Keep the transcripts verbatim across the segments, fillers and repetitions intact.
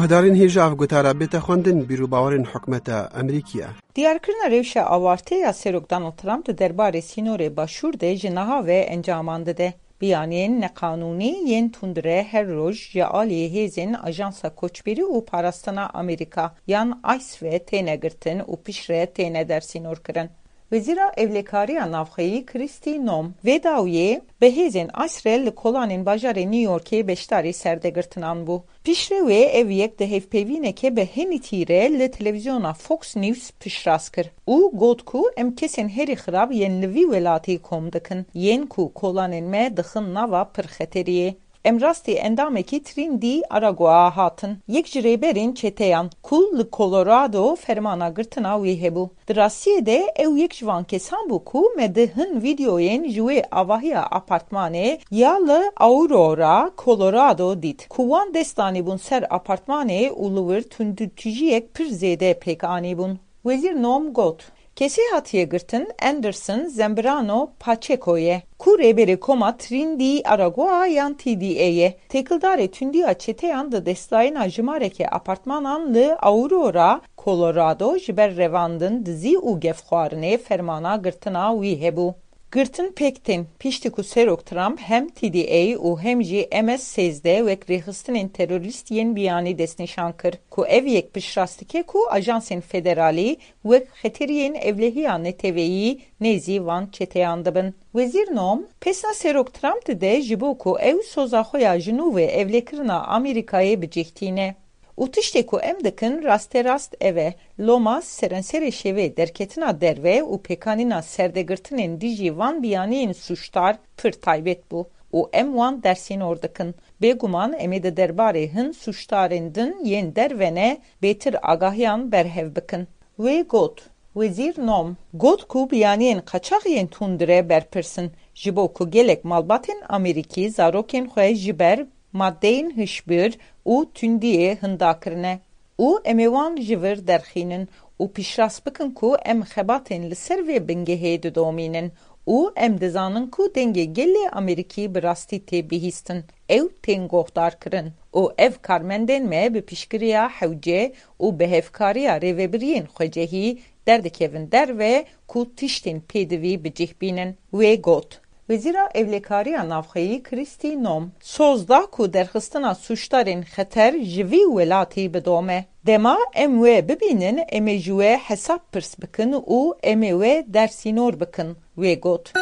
Guhdarên hêja ev gotara bête xwendin, bîr û bawerên hikûmeta Amerîkî ye. Diyarkirina rewşa awarte ya Serok Donald Trump di derbarê sînorê Başûr de ji niha ve encaman dide. Biyaniyên neqanûnî yên tundre her roj ji alî hêzên Ajansa Koçberî û Parastina Amerîka yan ICE ve têne girtin û piştre têne dersînorkirin. Wezîra Ewlekariya Navxweyî Kristi Noem vê dawiyê bi hêzên ICE re li kolanên bajarê New Yorkê beşdarî serdegirtinan bû. Piştre wê ev yek di hevpeyvîneke bi henîtî re li televîzyona Fox News piştrast kir û got ku em kesên herî xirab yên li vî welatî kom dikin, yên ku kolanên me dixin nava pir xeteriyê. Em rastî endamekî Trindî Aragoa hatin, yek ji rêberên çeteyan ku li Colorado fermana girtina wî hebû. Di rastiyê de ew yek ji van kesan bû ku me di hin vîdeoyên ji wê avahiya apartmanê ya li Aurora, Colorado dît, ku wan dest danîbûn ser apartmanê û li wir tundûtijiyek pir zêde pêk anîbûn. Wezîr Noem got, Kesê hatiye girtin Anderson Zambrano Pacheco ye, ku rêberê koma Trindî Aragoa yan T D A ye. Têkildarê tundiya çeteyan di destdayîna jimareke apartmanan li Aurora, Colorado ji ber revandin, dizî û gefxwarinê fermana girtina wî hebû. Girtin pêk tên, piştî ku Serok Trump hem T D A û hem jî M S sêzdeh wek rêxistinên terorîst yên biyanî destnîşan kir, ku ev yek piştrast dike ku ajansên federalî wek xeteriyên ewlehiya neteweyî nêzî van çeteyan dibin. Wezîr Noem pesna Serok Trump dide ji bo ku ew soza xwe ya ji nû ve ewlekirina Amerîkayê bi cih tîne. Û tiştê ku em dikin rasterast ev e, loma serenserê şevê derketina derve û pêkanîna serdegirtinên dijî van biyaniyên sûcdar pir taybet bû û em wan dersînor dikin. Bêguman em ê di derbarê hin sûcdarên din yên derve ne bêtir agahiyan berhev bikin. Wê got, Wezîr Noem got ku biyaniyên qaçax yên tundre berpirs in, ji bo ku gelek malbatên Amerîkî zarokên xwe ji ber madeyên hişbir û tundiyê hinda kirine û em ê wan ji vir derxînin û piştrast bikin ku em xebatên li ser vê bingehê didomînin û em dizanin ku dengê gelê Amerîkî bi rastî tê bihîstin, ew tên guhdarkirin û ev karmendên me bi piştgiriya hewce û bi hevkariya rêvebiriyên xwecehî derdikevin derve ku tiştên pêdivî bi cih bînin. Wê got, Wezîra Ewlekariya Navxweyî Krîstî Nom soz da ku derxistina sûcdarên xeter ji vî welatî bidome. Dema em wê bibînin, em ê ji wê hesab pirs bikin û em ê wê dersînor bikin, wê got.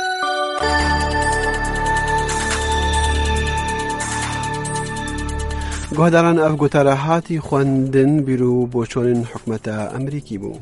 Guhdaran, ev gotara hatî xwendin, bîr û boçonên hikûmeta Amerîkî bû.